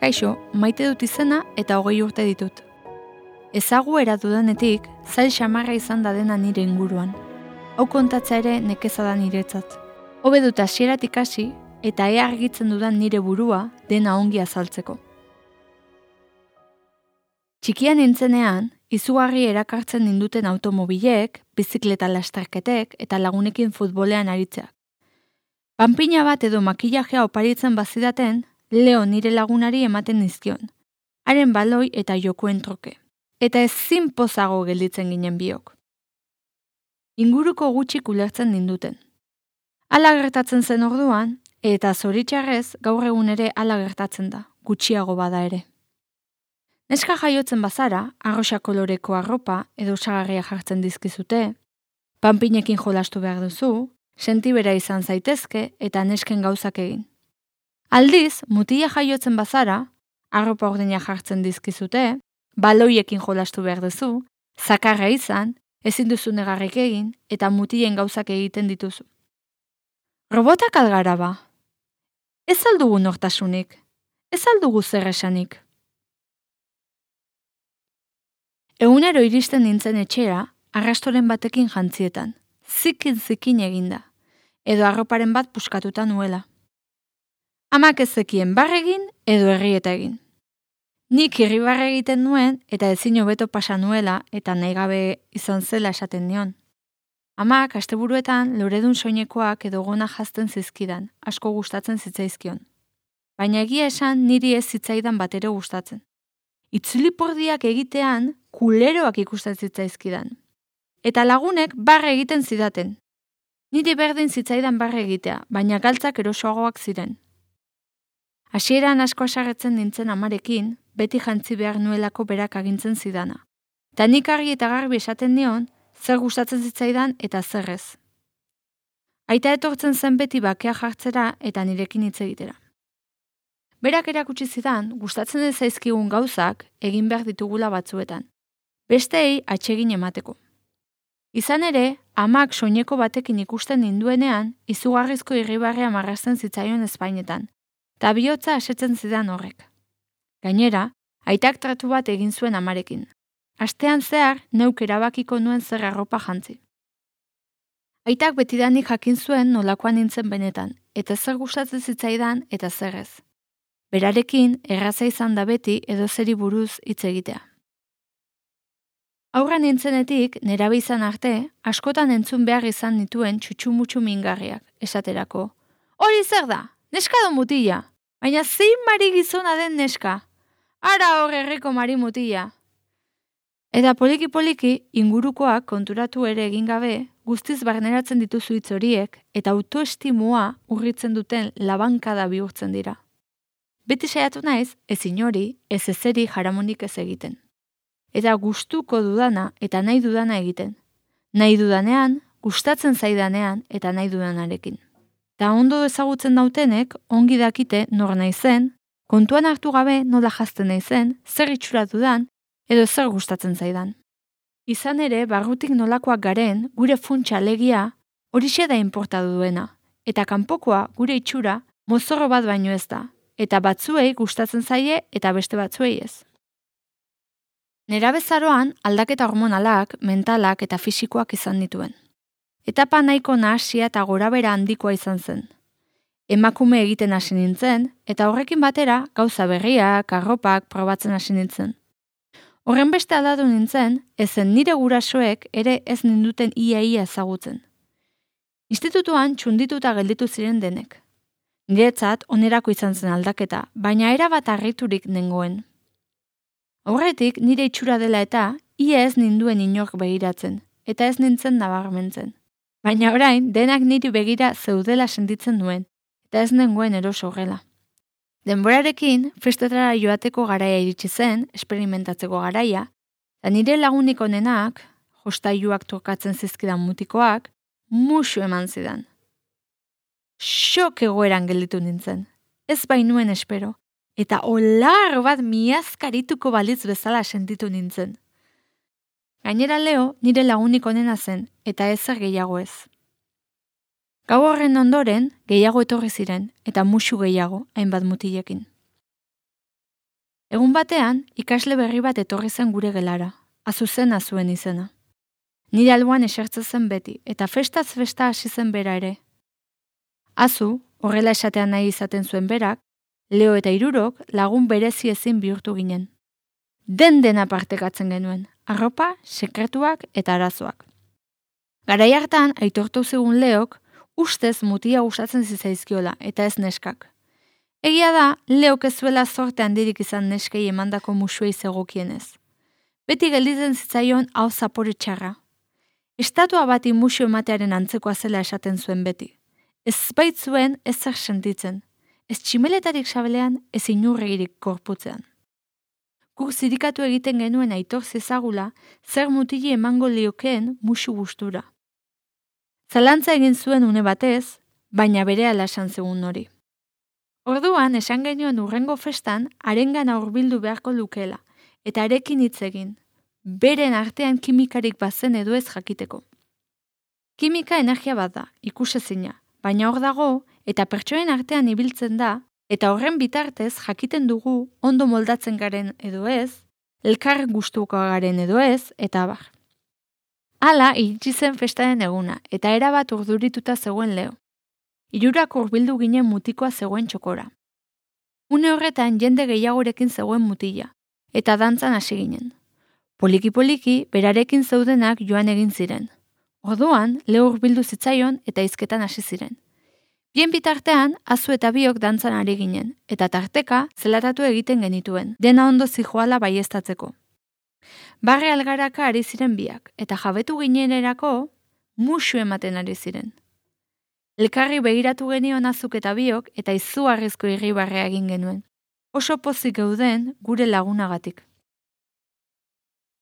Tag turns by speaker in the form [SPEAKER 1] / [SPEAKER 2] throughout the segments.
[SPEAKER 1] Kaixo, maite dut izena eta 20 urte ditut. Ezaguera dudanetik, zail xamarra izan da dena nire inguruan. Hau kontatza ere nekeza da niretzat. Hobe dut hasieratik hasi eta ea argitzen dudan nire burua dena ongi azaltzeko. Txikian nintzenean, izugarri erakartzen ninduten automobilek, bizikleta lasterketek eta lagunekin futbolean aritzeak. Panpina bat edo makillajea oparitzen bazidaten, Leo nire lagunari ematen nizkion, haren baloi eta jokoen troke, eta ezin pozago gelditzen ginen biok. Inguruko gutxik ulertzen ninduten. Hala gertatzen zen orduan, eta zoritxarrez gaur egun ere hala gertatzen da, gutxiago bada ere. Neska jaiotzen bazara, arrosa koloreko arropa edo osagarria jartzen dizkizute, panpinekin jolastu behar duzu, sentibera izan zaitezke eta nesken gauzak egin. Aldiz, mutila jaiotzen bazara, arropa ordina jartzen dizkizute, baloiekin jolastu behar duzu, zakarra izan, ezin duzu negarrik egin eta mutilen gauzak egiten dituzu. Robotak algara ba? Ez aldugu nortasunik, ez aldugu zer esanik. Egunero iristen nintzen etxera, arrastoren batekin jantzietan, zikin eginda, edo arroparen bat puskatuta nuela. Amak ez zekien barregin edo herrieta egin. Nik irribarre egiten nuen eta ezin hobeto pasa nuela eta nahi gabe izan zela esaten nion. Amak asteburuetan loredun soinekoak edo gona jazten zizkidan, asko gustatzen zitzaizkion. Baina egia esan niri ez zitzaidan batero gustatzen. Itzulipurdiak egitean kuleroak ikusten zitzaizkidan. Eta lagunek barre egiten zidaten. Niri berdin zitzaidan barre egitea, baina galtzak erosoagoak ziren. Hasieran asko asarretzen nintzen amarekin, beti jantzi behar nuelako berak agintzen zidana. Ta nik argi eta garbi esaten nion, zer gustatzen zitzaidan eta zer ez. Aita etortzen zen beti bakea jartzera eta nirekin hitz egitera. Berak erakutsi zidan, gustatzen ez zaizkigun gauzak egin behar ditugula batzuetan. Besteei atsegin emateko. Izan ere, amak soineko batekin ikusten ninduenean, izugarrizko irribarrea marrazten zitzaion ezpainetan, eta bihotza asetzen zidan horrek. Gainera, aitak tratu bat egin zuen amarekin. Astean zehar, neuk erabakiko nuen zer arropa jantzi. Aitak betidanik jakin zuen nolakoan nintzen benetan, eta zer gustatzen zitzaidan eta zer ez. Berarekin, erraza izan da beti edo zeri buruz hitz egitea. Aurra nintzenetik, nerabe izan arte, askotan entzun behar izan nituen txutxumutxu mingarriak, esaterako. Hori zer da, neska do mutila, baina zein mari gizona den neska, ara hor herriko mari mutila. Eta poliki-poliki, ingurukoak konturatu ere egin gabe, guztiz barneratzen dituzu hitz horiek, eta autoestimua urritzen duten labankada bihurtzen dira. Beti saiatu naiz, ez inori, ez ezeri jaramonik ez egiten. Eta gustuko dudana eta nahi dudana egiten. Nahi dudanean, gustatzen zaidanean eta nahi dudanarekin. Ta ondo ezagutzen dautenek, ongi dakite nor naizen, kontuan hartu gabe nola jazten naizen, zer itxura dudan, edo zer gustatzen zaidan. Izan ere, barrutik nolakoak garen, gure funtsa alegia, horixe da inporta duena, eta kanpokoa gure itxura mozorro bat baino ez da, eta batzuei gustatzen zaie eta beste batzuei ez. Nerabezaroan aldaketa hormonalak, mentalak eta fisikoak izan dituen. Etapa nahiko nahasia eta gorabera handikoa izan zen. Emakume egiten hasi nintzen, eta horrekin batera gauza berriak, arropak probatzen hasi nintzen. Horren beste aldatu nintzen, ezen nire gurasoek ere ez ninduten ia ezagutzen. Institutuan txundituta gelditu ziren denek. Niretzat onerako izan zen aldaketa, baina erabat harriturik nengoen. Horretik nire itxura dela eta ia ez ninduen inork begiratzen, eta ez nintzen nabarmentzen. Baina orain denak niri begira zeudela sentitzen nuen, eta ez nengoen eroso horrela. Denborarekin, festetara joateko garaia iritsi zen, esperimentatzeko garaia, eta nire lagunik onenak, jostailuak tokatzen zizkidan mutikoak, musu eman zidan. Xok egoeran gelditu nintzen, ez bainuen espero, eta olar bat miazkarituko balitz bezala sentitu nintzen. Gainera Leo nire lagunik onena zen, eta ezer gehiago ez. Gau horren ondoren, gehiago etorri ziren, eta musu gehiago, hainbat mutilekin. Egun batean, ikasle berri bat etorri zen gure gelara, Azuzen Azuen izena. Nire alboan esertzen zen beti, eta festaz festa hasi zen bera ere. Azu, horrela esatean nahi izaten zuen berak, Leo eta Hirurok lagun berezi ezin bihurtu ginen. Dena partekatzen genuen, arropa, sekretuak eta arazoak. Garai hartan, aitortu zigun Leok, ustez mutia gustatzen zitzaizkiola eta ez neskak. Egia da, Leok ez zuela zorte handirik izan neskei emandako musuei zegokienez. Beti gelditzen zitzaion hau zapore txarra. Estatua bati musu ematearen antzekoa zela esaten zuen beti. Ez baitzuen ez zer sentitzen, ez tximeletarik sabelean, ez inurregirik korputzean. Guk zirikatu egiten genuen aitor zezagula, zer mutili emango liokeen musu gustura. Zalantza egin zuen une batez, baina berehala esan zegun hori. Orduan, esan genuen urrengo festan, harengana hurbildu beharko lukela, eta arekin hitz egin, beren artean kimikarik bazen edo ez jakiteko. Kimika energia bat da, ikusezina, baina hor dago, eta pertsoen artean ibiltzen da, eta horren bitartez jakiten dugu ondo moldatzen garen edo ez, elkar gustuko garen edo ez, eta abar. Hala, iritsi zen festaren eguna, eta erabat urdurituta zegoen Leo. Hirurak hurbildu ginen mutikoa zegoen txokora. Une horretan jende gehiagorekin zegoen mutila, eta dantzan hasi ginen. Poliki-poliki, berarekin zeudenak joan egin ziren. Orduan, Leo hurbildu zitzaion eta hizketan hasi ziren. Bien bitartean, Azu eta biok dantzan ari ginen, eta tarteka zelatatu egiten genituen, dena ondo zijoala baieztatzeko. Barre algaraka ari ziren biak, eta jabetu ginenerako musu ematen ari ziren. Elkarri begiratu genion Azuk eta biok, eta izugarrizko irribarrea egin genuen. Oso pozik geuden gure lagunagatik.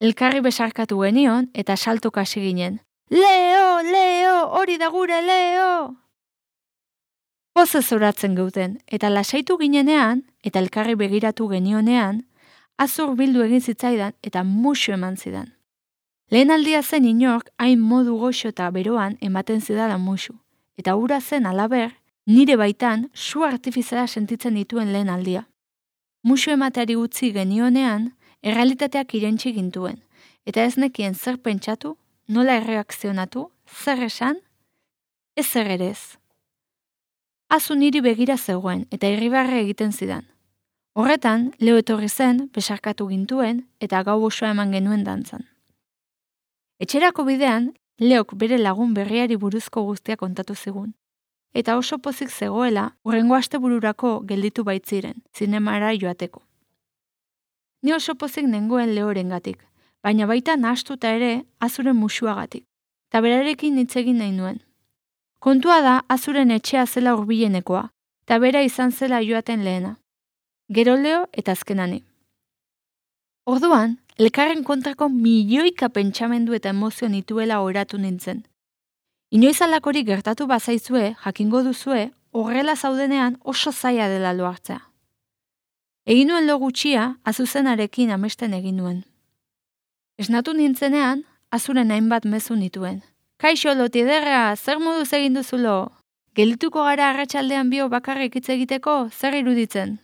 [SPEAKER 1] Elkarri besarkatu genion, eta saltoka hasi ginen. Leo, Leo, hori da gure Leo! Pozez oratzen geuden, eta lasaitu ginenean, eta elkarri begiratu genionean, Azur bildu egin zitzaidan eta musu eman zidan. Lehen aldia zen inork hain modu goxo eta beroan ematen zidala musu, eta hura zen alaber, nire baitan su artifiziala sentitzen dituen lehen aldia. Musu emateari utzi genionean, errealitateak irentsi gintuen, eta ez nekien zer pentsatu, nola erreakzionatu, zer esan, ez zer ere ez. Azu niri begira zegoen eta irribarre egiten zidan. Horretan, Leo etorri zen, besarkatu gintuen eta gau osoa eman genuen dantzan. Etxerako bidean, Leok bere lagun berriari buruzko guztia kontatu zigun. Eta oso pozik zegoela, hurrengo astebururako gelditu baitziren, zinemara joateko. Ni oso pozik nengoen Leorengatik, baina baita nahastuta ere Azuren musuagatik, eta berarekin hitz egin nahi nuen. Kontua da Azuren etxea zela hurbilenekoa, eta bera izan zela joaten lehena. Gero Leo eta azkenani. Orduan, elkarren kontrako milioika pentsamendu eta emozio nituela oratu nintzen. Inoiz alakorik gertatu bazaizue, jakingo duzue, horrela zaudenean oso zaila dela lo hartzea. Egin nuen lo gutxia, Azuzenarekin amesten egin nuen. Esnatu nintzenean, Azuren hainbat mezu nituen. Kaixo, lotiderra, zer moduz egin duzulo? Geldituko gara arratsaldean bio bakarrik hitz egiteko, zer iruditzen?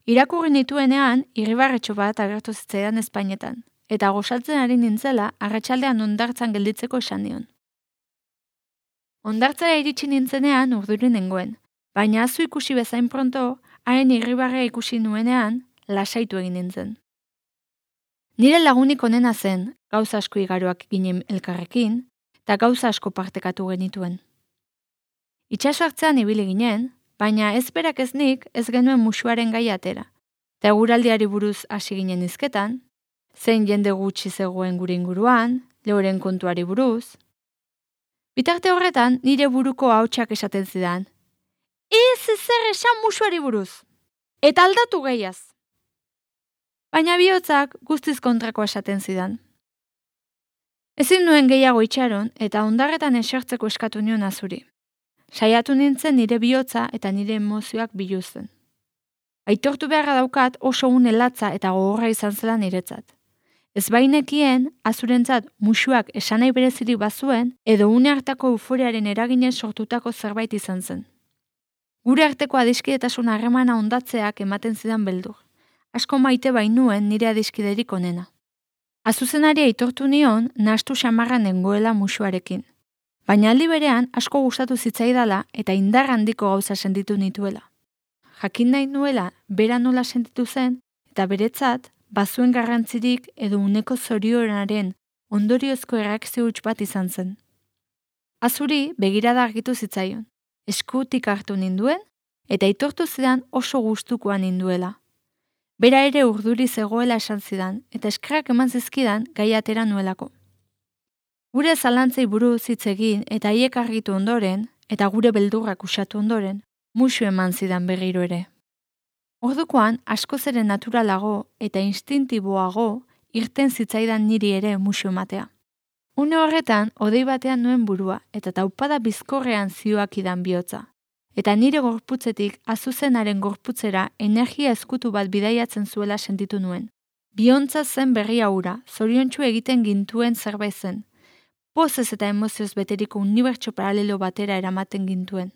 [SPEAKER 1] Irakurri nituenean, irribarretxo bat agertu zitzaidan Espainetan, eta gosaltzen ari nintzela arratsaldean hondartzan gelditzeko esan nion. Hondartzara iritsi nintzenean urduri nengoen, baina Azu ikusi bezain pronto, haren irribarrea ikusi nuenean, lasaitu egin nintzen. Nire lagunik onena zen, gauza asko igaroak ginen elkarrekin, eta gauza asko partekatu genituen. Itxaso hartzean ibili ginen, baina ez berak ez nik ez genuen musuaren gai atera, eta eguraldiari buruz hasi ginen hizketan, zein jende gutxi zegoen gure inguruan, Leoren kontuari buruz. Bitarte horretan nire buruko ahotsak esaten zidan, ez ezer esan musuari buruz, eta aldatu gehiaz. Baina bihotzak guztiz kontrako esaten zidan. Ezin nuen gehiago itxaron eta hondarretan esertzeko eskatu nion Azuri. Saiatu nintzen nire bihotza eta nire emozioak biluzten. Aitortu beharra daukat oso une latza eta gogorra izan zela niretzat. Ez bainekien, Azurentzat musuak esanai berezirik bazuen edo une hartako euforiaren eraginez sortutako zerbait izan zen. Gure arteko adiskidetasun harremana ondatzeak ematen zidan beldur. Asko maite bainuen nire adiskiderik onena. Azuzenari aitortu nion nahastu xamarran nengoela musuarekin. Baina aldi berean asko gustatu zitzaidala eta indar handiko gauza sentitu nituela. Jakin nahi nuela bera nola sentitu zen eta beretzat bazuen garrantzirik edo uneko zorionaren ondoriozko erreakzio huts bat izan zen. Azuri begirada argitu zitzaion, eskutik hartu ninduen eta aitortu zidan oso gustukoa ninduela. Bera ere urduri zegoela esan zidan eta eskerrak eman zizkidan gai atera nuelako. Gure zalantzei buruz hitz egin eta haiek argitu ondoren eta gure beldurrak usatu ondoren, musu eman zidan berriro ere. Ordukoan askoz ere naturalago eta instintiboago irten zitzaidan niri ere musu ematea. Une horretan, hodei batean nuen burua eta taupada bizkorrean zioakidan bihotza. Eta nire gorputzetik azuzenaren gorputzera energia ezkutu bat bidaiatzen zuela sentitu nuen. Biontza zen berria hura, zoriontsu egiten gintuen zerbait zen. Pozez eta emozioz beteriko unibertso paralelo batera eramaten gintuen.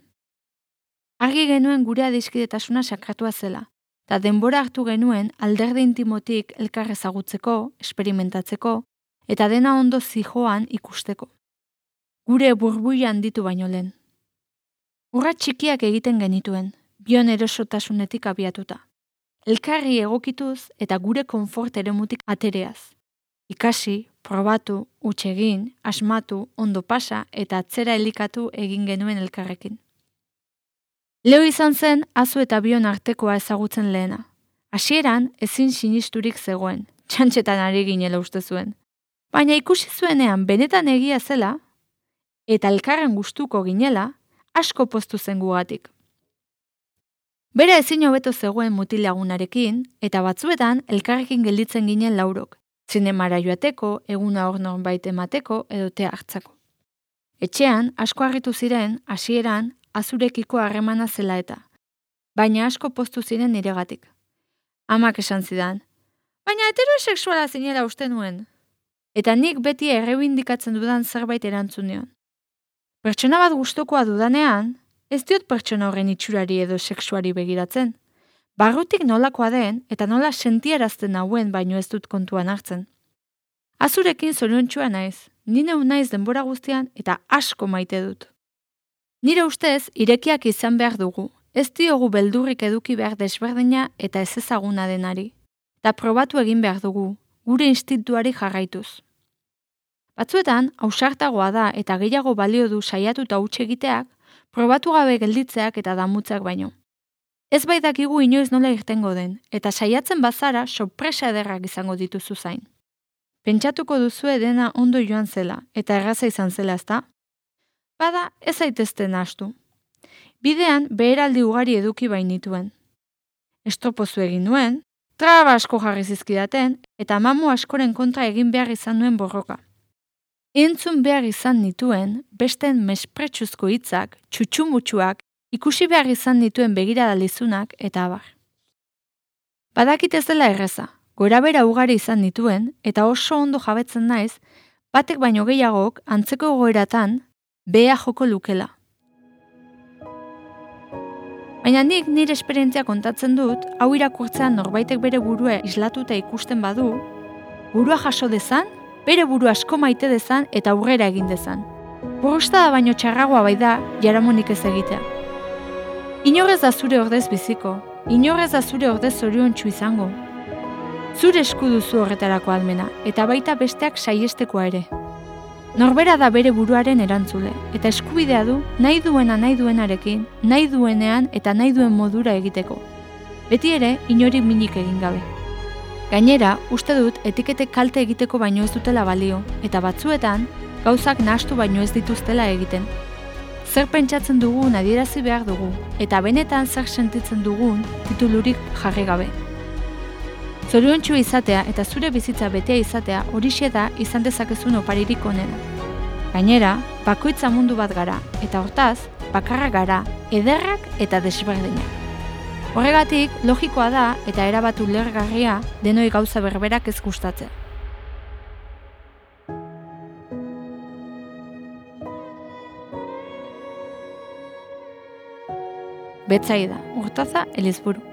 [SPEAKER 1] Argi genuen gure adiskidetasuna sakratua zela, eta denbora hartu genuen alderdi intimotik elkar ezagutzeko, esperimentatzeko, eta dena ondo zijoan ikusteko. Gure burbuian handitu baino lehen. Urra txikiak egiten genituen, bion erosotasunetik abiatuta. Elkarri egokituz eta gure konfort eremutik atereaz. Ikasi, probatu, utxegin, asmatu, ondo pasa eta atzera elikatu egin genuen elkarrekin. Leo izan zen azu eta bion artekoa ezagutzen lehena. Hasieran ezin sinisturik zegoen, txantxetan ari ginela uste zuen. Baina ikusi zuenean benetan egia zela, eta elkarren gustuko ginela, asko poztu zen gugatik. Bera ezin hobeto zegoen mutilagunarekin, eta batzuetan elkarrekin gelditzen ginen laurok, zinemara joateko, eguna hor norbait emateko edo tea hartzako. Etxean, asko harritu ziren, hasieran, azurekiko harremana zela eta, baina asko poztu ziren niregatik. Amak esan zidan, baina heterosexuala zinela uste nuen. Eta nik beti errebindikatzen dudan zerbait erantzun nion. Pertsona bat gustukoa dudanean, ez diot pertsona horren itxurari edo sexuari begiratzen. Barrutik nolakoa den eta nola sentiarazten hauen baino ez dut kontuan hartzen. Azurekin zoriontsua naiz, ni neu naiz denbora guztian eta asko maite dut. Nire ustez, irekiak izan behar dugu, ez diogu beldurrik eduki behar desberdina eta ez ezaguna denari. Eta probatu egin behar dugu, gure instintuari jarraituz. Batzuetan, ausartagoa da eta gehiago balio du saiatuta huts egiteak, probatu gabe gelditzeak eta damutzeak baino. Ez bai dakigu inoiz nola irtengo den, eta saiatzen bazara sorpresa ederrak izango dituzu zain. Pentsatuko duzue dena ondo joan zela, eta erraza izan zela ezta? Bada, ez zaitezte nahastu. Bidean, beheraldi ugari eduki bainituen. Estropozu egin nuen, traba asko jarri zizkidaten, eta mamu askoren kontra egin behar izan nuen borroka. Entzun behar izan nituen, besten mespretsuzko hitzak, txutxumutxuak, ikusi behar izan nituen begirada lizunak eta abar. Badakit ez dela erreza, gorabera ugari izan nituen, eta oso ondo jabetzen naiz, batek baino gehiagok antzeko egoeratan beha joko lukela. Baina nik nire esperientzia kontatzen dut, hau irakurtzean norbaitek bere burua islatuta ikusten badu, burua jaso dezan, bere buru asko maite dezan eta aurrera egin dezan. Borrostada baino txarragoa bai da, jaramonik ez egitea. Inorrez da zure ordez biziko, inorrez da zure ordez zoriontsu izango. Zure esku duzu horretarako almena, eta baita besteak saiestekoa ere. Norbera da bere buruaren erantzule, eta eskubidea du nahi duena nahi duenarekin, nahi duenean eta nahi duen modura egiteko. Beti ere, inori minik egin gabe. Gainera, uste dut etiketek kalte egiteko baino ez dutela balio, eta batzuetan, gauzak nahastu baino ez dituztela egiten. Zer pentsatzen dugun adierazi behar dugu, eta benetan zer sentitzen dugun titulurik jarri gabe. Zoriontsu izatea eta zure bizitza betea izatea horixe da izan dezakezun oparirik onena. Gainera, bakoitza mundu bat gara, eta hortaz, bakarrak gara, ederrak eta desberdinak. Horregatik, logikoa da eta erabat ulergarria denoi gauza berberak ez gustatzea. Betsaida, Urtaza, Elizburu.